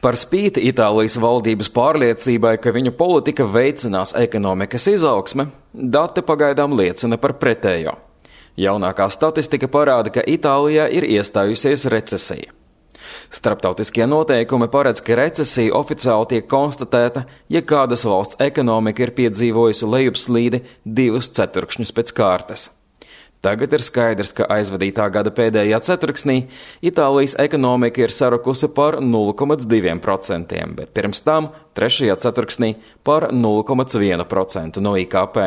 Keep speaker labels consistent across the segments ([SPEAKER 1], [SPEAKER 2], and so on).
[SPEAKER 1] Par spīti Itālijas valdības pārliecībai, ka viņu politika veicinās ekonomikas izaugsme, dati pagaidām liecina par pretējo. Jaunākā statistika parāda, ka Itālijā ir iestājusies recesija. Starptautiskie noteikumi paredz, ka recesija oficiāli tiek konstatēta, ja kādas valsts ekonomika ir piedzīvojusi lejupslīdi 2 ceturkšņus pēc kārtas. Tagad ir skaidrs, ka aizvadītā gada pēdējā ceturksnī Itālijas ekonomika ir sarukusi par 0,2%, bet pirms tam, 3. ceturksnī, par 0,1% no IKP.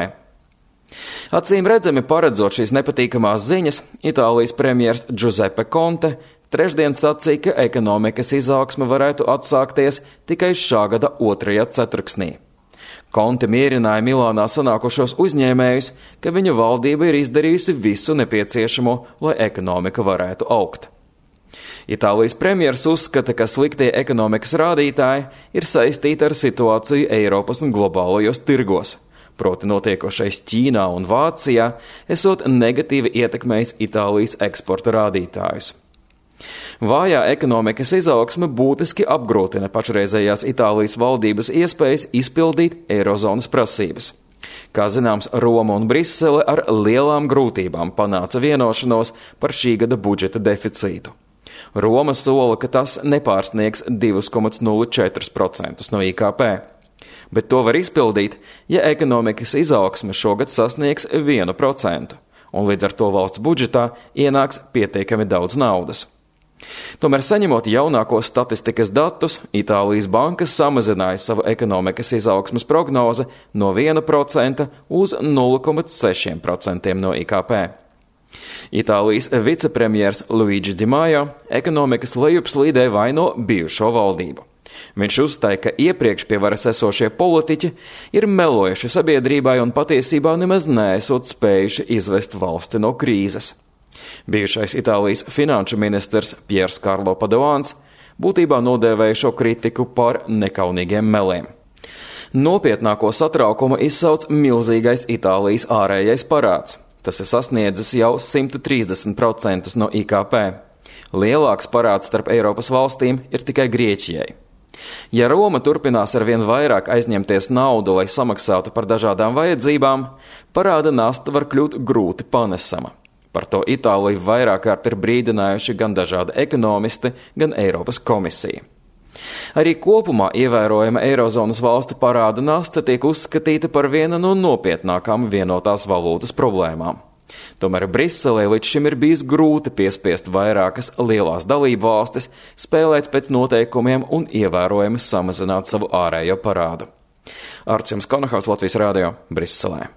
[SPEAKER 1] Acīm redzami paredzot šīs nepatīkamās ziņas, Itālijas premjers Giuseppe Conte trešdien sacīja, ka ekonomikas izaugsme varētu atsākties tikai šā gada 2. ceturksnī. Conte mierināja Milānā sanākušos uzņēmējus, ka viņa valdība ir izdarījusi visu nepieciešamo, lai ekonomika varētu augt. Itālijas premjers uzskata, ka sliktie ekonomikas rādītāji ir saistīti ar situāciju Eiropas un globālajos tirgos. Proti notiekošais Ķīnā un Vācijā esot negatīvi ietekmējis Itālijas eksporta rādītājus. Vājā ekonomikas izaugsme būtiski apgrūtina pašreizējās Itālijas valdības iespējas izpildīt eirozonas prasības. Kā zināms, Roma un Brisele ar lielām grūtībām panāca vienošanos par šī gada budžeta deficītu. Roma sola, ka tas nepārsniegs 2,04% no IKP. Bet to var izpildīt, ja ekonomikas izaugsme šogad sasniegs 1%, un līdz ar to valsts budžetā ienāks pietiekami daudz naudas. Tomēr saņemot jaunākos statistikas datus, Itālijas bankas samazināja savu ekonomikas izaugsmes prognozi no 1% uz 0,6% no IKP. Itālijas vicepremjers Luigi Di Maio ekonomikas lejupslīdē vaino bijušo valdību. Viņš uzstāja, ka iepriekš pie varas esošie politiķi ir melojuši sabiedrībai un patiesībā nemaz neesot spējuši izvest valsti no krīzes. Bijušais Itālijas finanšu ministrs Piers Karlo Padoans būtībā nodēvēja šo kritiku par nekaunīgiem meliem. Nopietnāko satraukumu izsauc milzīgais Itālijas ārējais parāds. Tas ir sasniedzis jau 130% no IKP. Lielāks parāds starp Eiropas valstīm ir tikai Grieķijai. Ja Roma turpinās arvien vairāk aizņemties naudu, lai samaksātu par dažādām vajadzībām, parāda nasta var kļūt grūti panesama. Par to Itāliju vairāk kārt ir brīdinājuši gan dažādi ekonomisti, gan Eiropas komisija. Arī kopumā ievērojama Eirozonas valstu parāda nasta tiek uzskatīta par vienu no nopietnākām vienotās valūtas problēmām. Tomēr Briselē līdz šim ir bijis grūti piespiest vairākas lielās dalību valstis spēlēt pēc noteikumiem un ievērojami samazināt savu ārējo parādu. Arts Konohaus, Latvijas Rādio, Briselē.